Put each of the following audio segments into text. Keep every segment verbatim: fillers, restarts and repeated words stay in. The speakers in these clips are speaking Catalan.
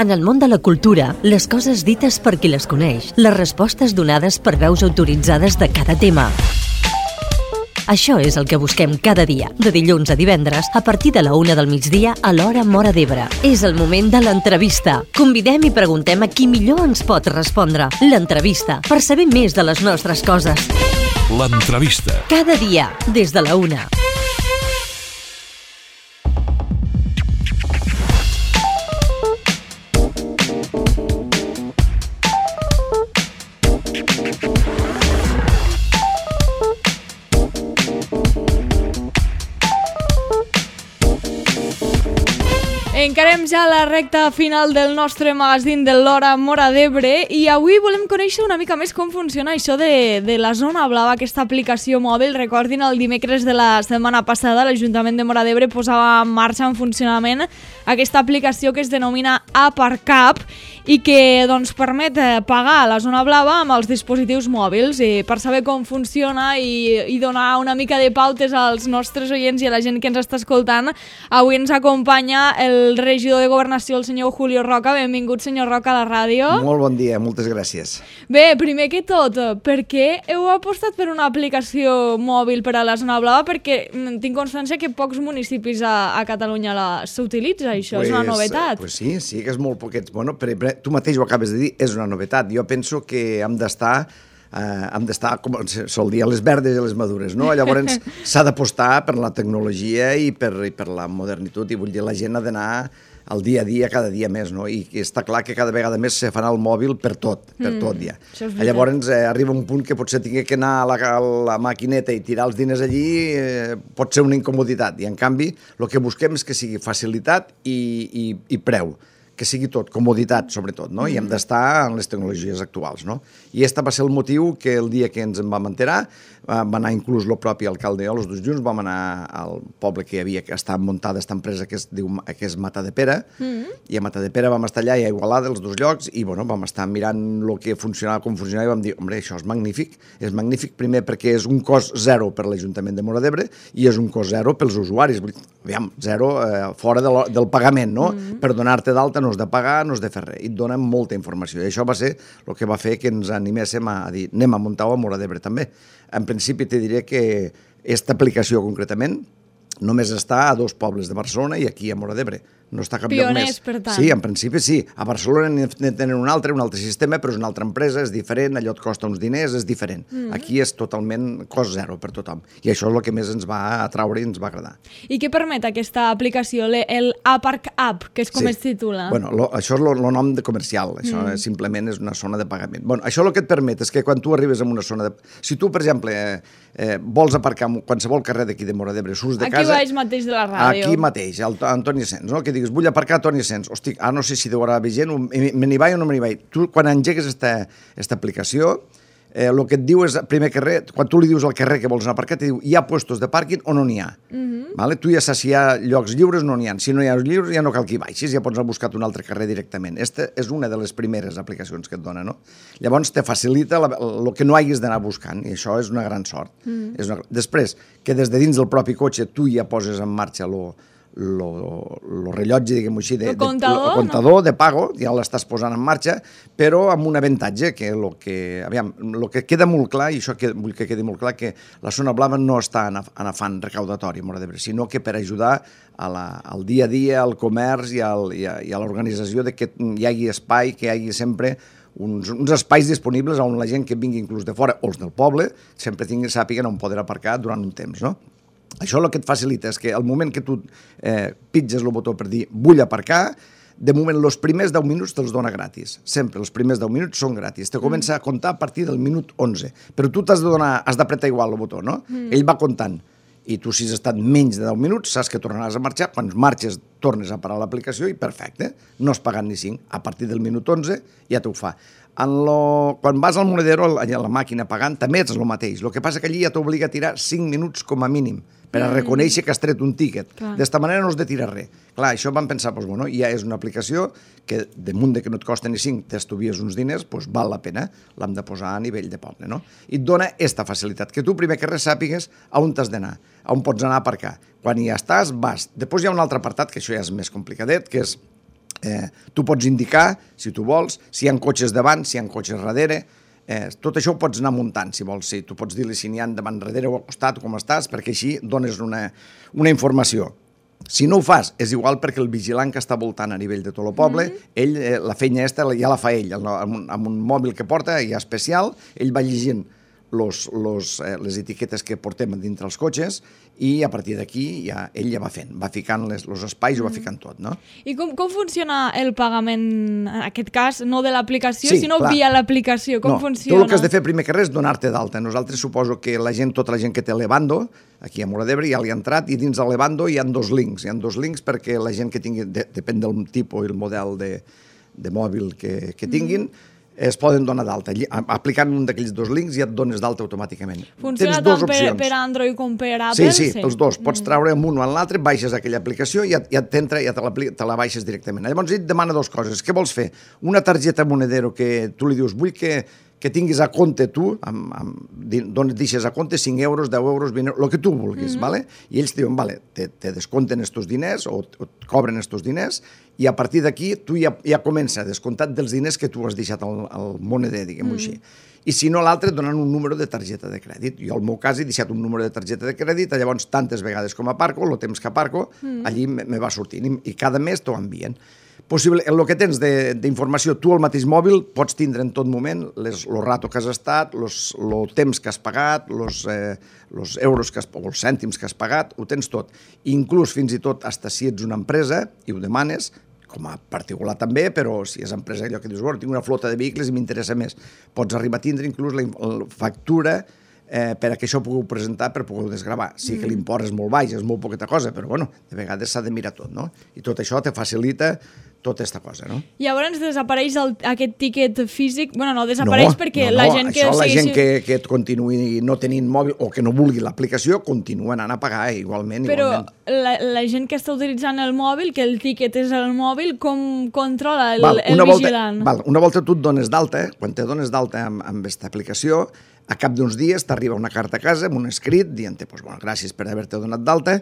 En el món de la cultura, les coses dites per qui les coneix, les respostes donades per veus autoritzades de cada tema. Això és el que busquem cada dia, de dilluns a divendres, a partir de la una del migdia a l'hora Móra d'Ebre. És el moment de l'entrevista. Convidem i preguntem a qui millor ens pot respondre. L'entrevista, per saber més de les nostres coses. L'entrevista. Cada dia, des de la una. Encarem ja la recta final del nostre magazín de l'hora Móra d'Ebre i avui volem conèixer una mica més com funciona això de, de la Zona Blava, aquesta aplicació mòbil. Recordin, el dimecres de la setmana passada l'Ajuntament de Móra d'Ebre posava en marxa, en funcionament, aquesta aplicació que es denomina Aparcap i que doncs, permet pagar la Zona Blava amb els dispositius mòbils. I per saber com funciona i, i donar una mica de pautes als nostres oients i a la gent que ens està escoltant, avui ens acompanya el el regidor de Governació, el senyor Julio Roca. Benvingut, senyor Roca, a la ràdio. Molt bon dia, moltes gràcies. Bé, primer que tot, per què heu apostat per una aplicació mòbil per a la Zona Blava? Perquè tinc constància que pocs municipis a, a Catalunya s'utilitza, això pues, és una novetat. Pues sí, sí que és molt poquets. Bueno, per, per, tu mateix ho acabes de dir, és una novetat. Jo penso que hem d'estar Uh, hem d'estar, com sol dir, a les verdes i a les madures, no? Llavors s'ha d'apostar per la tecnologia i per, i per la modernitat, i vull dir, la gent ha d'anar al dia a dia, cada dia més, no? I està clar que cada vegada més se fan al mòbil per tot, per mm, tot ja. Llavors eh, arriba un punt que potser tingui que anar a la, a la maquineta i tirar els diners allí, eh, pot ser una incomoditat, i en canvi el que busquem és que sigui facilitat i, i, i preu, que sigui tot, comoditat sobretot, no? I hem d'estar en les tecnologies actuals, no? I aquest va ser el motiu que el dia que ens en vam enterar, va anar inclús el propi alcalde i jo, els dos junts, vam anar al poble que hi havia, que estava muntada aquesta empresa que es diu que és Matadepera, mm-hmm. i a Matadepera vam estar allà i a Igualada, els dos llocs, i bueno, vam estar mirant el que funcionava, com funcionava, i vam dir, home, això és magnífic, és magnífic primer perquè és un cost zero per l'Ajuntament de Móra d'Ebre i és un cost zero pels usuaris, aviam, zero eh, fora de lo, del pagament, no? Mm-hmm. Per donar-te d'alta no has de pagar, no has de fer res, i et donen molta informació, i això va ser el que va fer que ens animéssim a dir, anem a muntar-ho a Móra d'Ebre també. En principi te diré que aquesta aplicació concretament només està a dos pobles de Barcelona i aquí a Móra d'Ebre. No està cap lloc més. Pioners, per tant. Sí, en principi sí. A Barcelona en tenen un altre, un altre sistema, però és una altra empresa, és diferent, allò et costa uns diners, és diferent. Mm. Aquí és totalment cost zero per tothom. I això és el que més ens va atraure i ens va agradar. I què permet aquesta aplicació, el Aparcap, que és com sí. es titula? Bueno, lo, això és el nom de comercial, això mm. simplement és una zona de pagament. Bueno, això el que et permet és que quan tu arribes a una zona de... Si tu, per exemple, eh, eh, vols aparcar en qualsevol carrer d'aquí de Móra d'Ebre, surts de aquí casa... Aquí baix mateix de la ràdio. Aquí mateix, al Antoni Asens, no? Que digues, vull aparcar a Antoni Asens. Hosti, ah, no sé si deu haver gent, me n'hi vaig o no me n'hi vaig. Tu, quan engegues aquesta aplicació, eh, el que et diu és, primer carrer, quan tu li dius al carrer que vols anar a aparcar, te diu, hi ha puestos de pàrquing o no n'hi ha. Mm-hmm. Vale? Tu ja saps si hi ha llocs lliures o no n'hi ha. Si no hi ha lliures, ja no cal que hi baixis, ja pots anar a buscar un altre carrer directament. Aquesta és una de les primeres aplicacions que et dona, no? Llavors te facilita el que no hagis d'anar buscant, i això és una gran sort. Mm. És una... Després, que des de dins del propi cotxe tu ja poses en marxa lo... el rellotge, diguem-ho així, de, el comptador, de, el comptador no? de pago, ja l'estàs posant en marxa, però amb un avantatge que el que, aviam, lo que queda molt clar, i això que, vull que quedi molt clar, que la Zona Blava no està en, en afany recaudatori, sinó que per ajudar a la, al dia a dia, al comerç i, al, i a, i a l'organització de que hi hagi espai, que hi hagi sempre uns, uns espais disponibles on la gent que vingui inclús de fora, o els del poble, sempre tingui, sàpiguen on poder aparcar durant un temps, no? Això el que et facilita és que al moment que tu eh, pitges el botó per dir vull aparcar, de moment els primers deu minuts te'ls dona gratis. Sempre els primers deu minuts són gratis. Te comença a comptar a partir del minut onze. Però tu t'has de donar, has d'apretar igual el botó, no? Mm. Ell va comptant. I tu, si has estat menys de deu minuts, saps que tornaràs a marxar. Quan marxes, tornes a parar l'aplicació i perfecte. No has pagat ni cinc. A partir del minut onze ja t'ho fa. En lo... Quan vas al monedero, a la màquina pagant, també és el mateix. El que passa que allí ja t'obliga a tirar cinc minuts com a mínim per a reconèixer que has tret un tíquet. D'esta manera no has de tirar res. Clar, això vam pensar, doncs, bueno, ja és una aplicació que, damunt de que no et costa ni cinc, t'estuvies uns diners, doncs val la pena, l'hem de posar a nivell de poble, no? I et dona aquesta facilitat, que tu primer que res sàpigues a on t'has d'anar, a on pots anar a aparcar. Quan hi estàs, vas. Després hi ha un altre apartat, que això ja és més complicadet, que és Eh, tu pots indicar, si tu vols, si hi ha cotxes davant, si hi ha cotxes darrere. Eh, tot això ho pots anar muntant, si vols. Sí. Tu pots dir-li si n'hi ha davant, darrere o al costat, com estàs, perquè així dones una, una informació. Si no ho fas, és igual perquè el vigilant que està voltant a nivell de tot el poble, mm-hmm. ell, eh, la feina aquesta ja la fa ell, amb un, amb un mòbil que porta, ja especial, ell va llegint los, los, eh, les etiquetes que portem dintre els cotxes i a partir d'aquí ja, ell ja va fent, va ficant les, els espais, mm. ho va ficant tot, no? I com, com funciona el pagament, en aquest cas, no de l'aplicació, sí, sinó clar. via l'aplicació? Com no, funciona? Tu el que has de fer primer que res és donar-te d'alta. Nosaltres suposo que la gent, tota la gent que té Levando, aquí a Móra d'Ebre ja li ha entrat, i dins del Levando hi ha dos links. Hi ha dos links perquè la gent que tingui, de, depèn del tipus i el model de, de mòbil que, que tinguin, mm. es poden donar d'alta. Aplicant un d'aquells dos links ja et dones d'alta automàticament. Funciona tant per, per Android com per Apple? Sí, sí, sí, els dos. Pots treure amb un o en l'altre, baixes aquella aplicació i ja, ja t'entra, ja te la, te la baixes directament. Llavors ell et demana dues coses. Què vols fer? Una targeta Monedero que tu li dius, vull que, que tinguis a compte tu, amb, amb, dones, deixes a compte cinc euros, deu euros, vint euros, el que tu vulguis, mm-hmm. vale? I ells te diuen, vale, te, te descompten estos diners o, o et cobren estos diners i a partir d'aquí tu ja, ja comença a descomptat dels diners que tu has deixat al, al moneder, diguem-ho mm. així. I si no, l'altre et donen un número de targeta de crèdit. Jo, al meu cas, he deixat un número de targeta de crèdit, llavors tantes vegades com aparco, el temps que aparco, mm. allí me, me va sortint i, i cada mes t'ho envien. Possible, el que tens d'informació, tu al mateix mòbil pots tindre en tot moment les, el rato que has estat, el temps que has pagat, els eh, euros que has, o els cèntims que has pagat, ho tens tot. Inclús fins i tot, hasta si ets una empresa i ho demanes, com a particular també, però si és empresa allò que dius, bueno, tinc una flota de vehicles i m'interessa més, pots arribar a tindre inclús la, la factura eh, per a que això ho pugueu presentar per poder desgravar. Sí que l'import és molt baix, és molt poqueta cosa, però bueno, de vegades s'ha de mirar tot, no? I tot això te facilita tota aquesta cosa, no? Llavors desapareix el, aquest tiquet físic? Bueno, no desapareix no, perquè no, no, la gent que... Això la segueixi... gent que, que et continuï no tenint mòbil o que no vulgui l'aplicació continua anant a pagar eh, igualment. Però igualment. La, la gent que està utilitzant el mòbil, que el tiquet és el mòbil, com controla el, val, el una vigilant? Volta, val, una volta tu et dones d'alta, eh? Quan te dones d'alta amb, amb aquesta aplicació, a cap d'uns dies t'arriba una carta a casa amb un escrit dient-te, pues, bueno, gràcies per haver-te donat d'alta,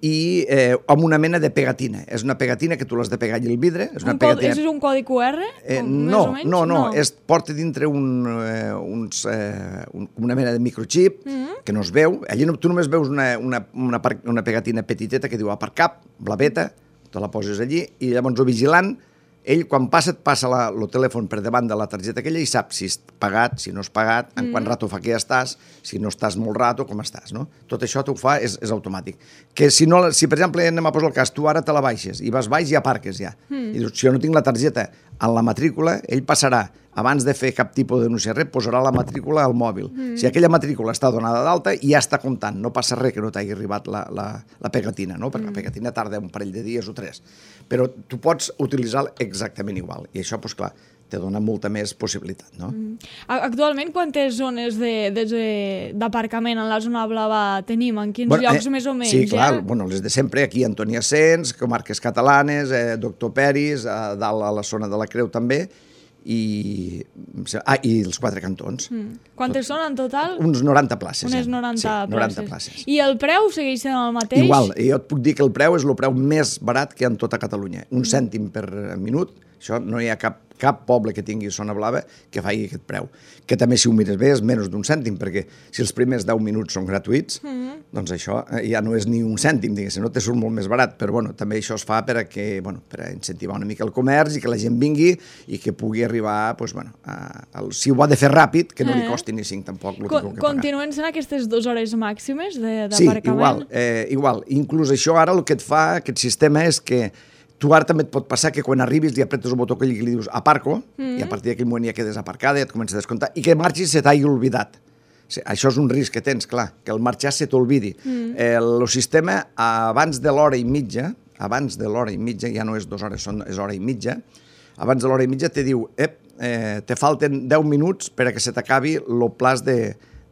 i eh, amb una mena de pegatina. És una pegatina que tu l'has de pegar allà al vidre. És una un pegatina... codi, és un codi Q R? Eh, no, no, no, no, és, porta dintre un, eh, uns, eh, un, una mena de microchip mm-hmm. que no es veu. Allí no, tu només veus una, una, una, una pegatina petiteta que diu aparcap, blaveta, te la poses allí, i llavors el vigilant, ell quan passa et passa la, el telèfon per davant de la targeta aquella i sap si és pagat, si no és pagat, en mm. quant rato fa que ja estàs, si no estàs molt rato, com estàs, no? Tot això t'ho fa, és, és automàtic. Que si, no, si, per exemple, anem a posar el cas, tu ara te la baixes i vas baix i aparques ja. Mm. I dius, si jo no tinc la targeta en la matrícula, ell passarà, abans de fer cap tipus de denúncia res, posarà la matrícula al mòbil. Mm. Si aquella matrícula està donada d'alta, ja està comptant, no passa res que no t'hagi arribat la, la, la pegatina, no? Perquè mm. la pegatina tarda un parell de dies o tres. Però tu pots utilitzar exactament igual. I això, doncs clar, te dona molta més possibilitat, no? Mm. Actualment, quantes zones d'aparcament en la zona blava tenim? En quins bueno, llocs, eh, més o menys? Sí, clar, eh? bueno, les de sempre, aquí Antoni Asens, comarques catalanes, eh, Doctor Peris, a dalt a la zona de la Creu també, i, ah, i els quatre cantons. Mm. Quantes Tot, són en total? Uns noranta places. Unes noranta, sí, noranta places. I el preu segueix sent el mateix? Igual, jo et puc dir que el preu és el preu més barat que hi ha en tota Catalunya. Un mm. cèntim per minut, això no hi ha cap, cap poble que tingui zona blava que faci aquest preu. Que també, si ho mires bé, és menys d'un cèntim, perquè si els primers deu minuts són gratuïts, mm. doncs això ja no és ni un cèntim, diguéssim, no te surt molt més barat, però bueno, també això es fa per a, que, bueno, per a incentivar una mica el comerç i que la gent vingui i que pugui arribar, doncs, bueno, a, a, si ho ha de fer ràpid, que no li costi ni cinc tampoc. El Con, que continuen sent aquestes dues hores màximes d'aparcament? Sí, igual, eh, igual. Inclús això ara el que et fa, aquest sistema, és que tu ara també et pot passar que quan arribis li apretes el botó que li dius aparco, mm. i a partir d'aquell moment ja quedes aparcada, ja et comença a descomptar, i que marxis se t'hagi oblidat. Sí, això és un risc que tens, clar, que el marxar se t'olvidi. Mm. Eh, el sistema, abans de l'hora i mitja, abans de l'hora i mitja, ja no és dues hores, són, és hora i mitja, abans de l'hora i mitja te diu, ep, eh, te falten deu minuts per a que se t'acabi el plaç de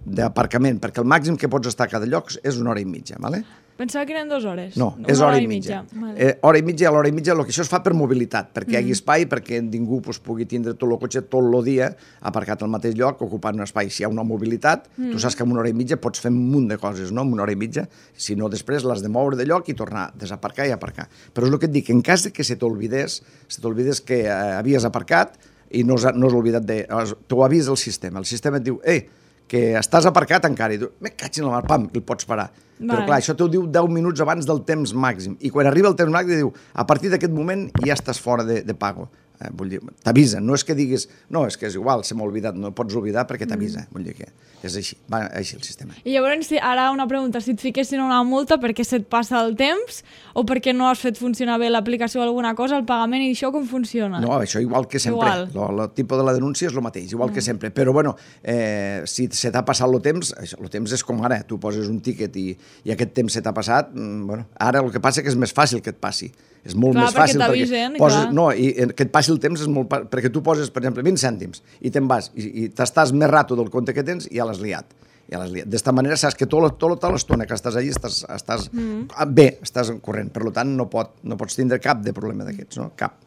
d'aparcament, perquè el màxim que pots estar a cada lloc és una hora i mitja, ¿vale? Pensava que eren dues hores. No, Una és hora i mitja. mitja. Vale. Eh, hora i mitja, a l'hora i mitja, el que això es fa per mobilitat, perquè mm. hi hagi espai, perquè ningú pues, pugui tindre tot el cotxe tot el dia aparcat al mateix lloc, ocupant un espai. Si hi ha una mobilitat, mm. tu saps que en una hora i mitja pots fer un munt de coses, no?, en una hora i mitja, si no després l'has de moure de lloc i tornar a desaparcar i aparcar. Però és el que et dic, en cas que se t'olvidés, se t'olvidés que eh, havies aparcat i no has, no has oblidat de... T'ho avisa el sistema. El sistema et diu, ei, que estàs aparcat encara, i tu, me caig en la mar, pam, i el pots parar. Vale. Però clar, això t'ho diu deu minuts abans del temps màxim, i quan arriba el temps màxim diu, a partir d'aquest moment ja estàs fora de, de pago. Eh, vull dir, t'avisa, no és que diguis, no, és que és igual, se m'ha oblidat, no pots oblidar perquè t'avisa, mm. vull dir que és així, va així el sistema. I llavors, si, ara una pregunta, si et fiquessin una multa perquè se't passa el temps o perquè no has fet funcionar bé l'aplicació o alguna cosa, el pagament i això com funciona? No, això igual que sempre, igual. el tipus de la denúncia és el mateix, igual mm. que sempre, però bueno, eh, si se t'ha passat el temps, això, el temps és com ara, tu poses un tíquet i, i aquest temps se t'ha passat, mm, bueno, ara el que passa és que és més fàcil que et passi. És molt clar, més fàcil perquè t'avisen, poses, clar. no, i que et passi el temps és molt... Perquè tu poses, per exemple, vint cèntims i te'n vas i, i t'estàs més rato del compte que tens i ja l'has liat. Ja l'has liat. D'esta manera saps que tota tot, tot l'estona que estàs allà estàs, estàs mm. bé, estàs corrent. Per tant, no, pot, no pots tindre cap de problema d'aquests, no? Cap.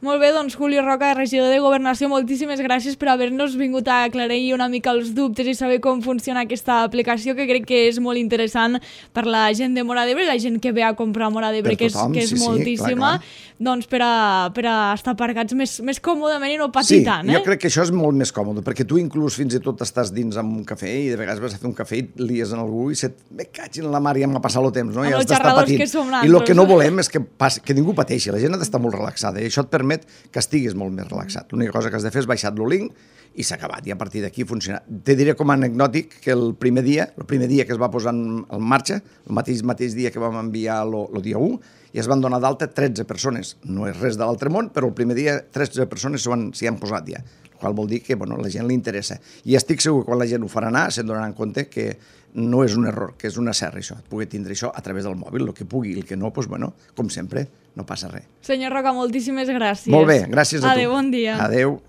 Molt bé, doncs Julio Roca, regidor de Governació, moltíssimes gràcies per haver-nos vingut a aclarir una mica els dubtes i saber com funciona aquesta aplicació, que crec que és molt interessant per la gent de Móra d'Ebre, la gent que ve a comprar a Móra d'Ebre, que és, que és sí, moltíssima, sí, clar, clar. Doncs per a, per a estar aparcats més, més còmodament i no patir sí, tant. Eh? Jo crec que això és molt més còmode, perquè tu inclús fins i tot estàs dins amb un cafè i de vegades vas a fer un cafè i lies en algú i se't... me caig en la mar, ja m'ha passat el temps, no? Amb ja els xerradors que som I el que no volem és que, passi, que ningú pateixi, la gent ha d'estar molt relaxada i això et permet que estiguis molt més relaxat. L'única cosa que has de fer és baixar-lo link i s'ha acabat, i a partir d'aquí funciona. Te diré com a anecdòtic que el primer dia, el primer dia que es va posar en, en marxa, el mateix, mateix dia que vam enviar el dia u, i es van donar d'alta tretze persones. No és res de l'altre món, però el primer dia tretze persones s'hi han posat ja, el qual vol dir que bueno, a la gent li interessa. I estic segur que quan la gent ho farà anar, se'n donaran compte que no és un error, que és una serra això, et pugui tindre això a través del mòbil, el que pugui, el que no, doncs, bueno, com sempre, no passa res. Senyor Roca, moltíssimes gràcies. Molt bé, gràcies a tu. Adéu, bon dia. Adéu.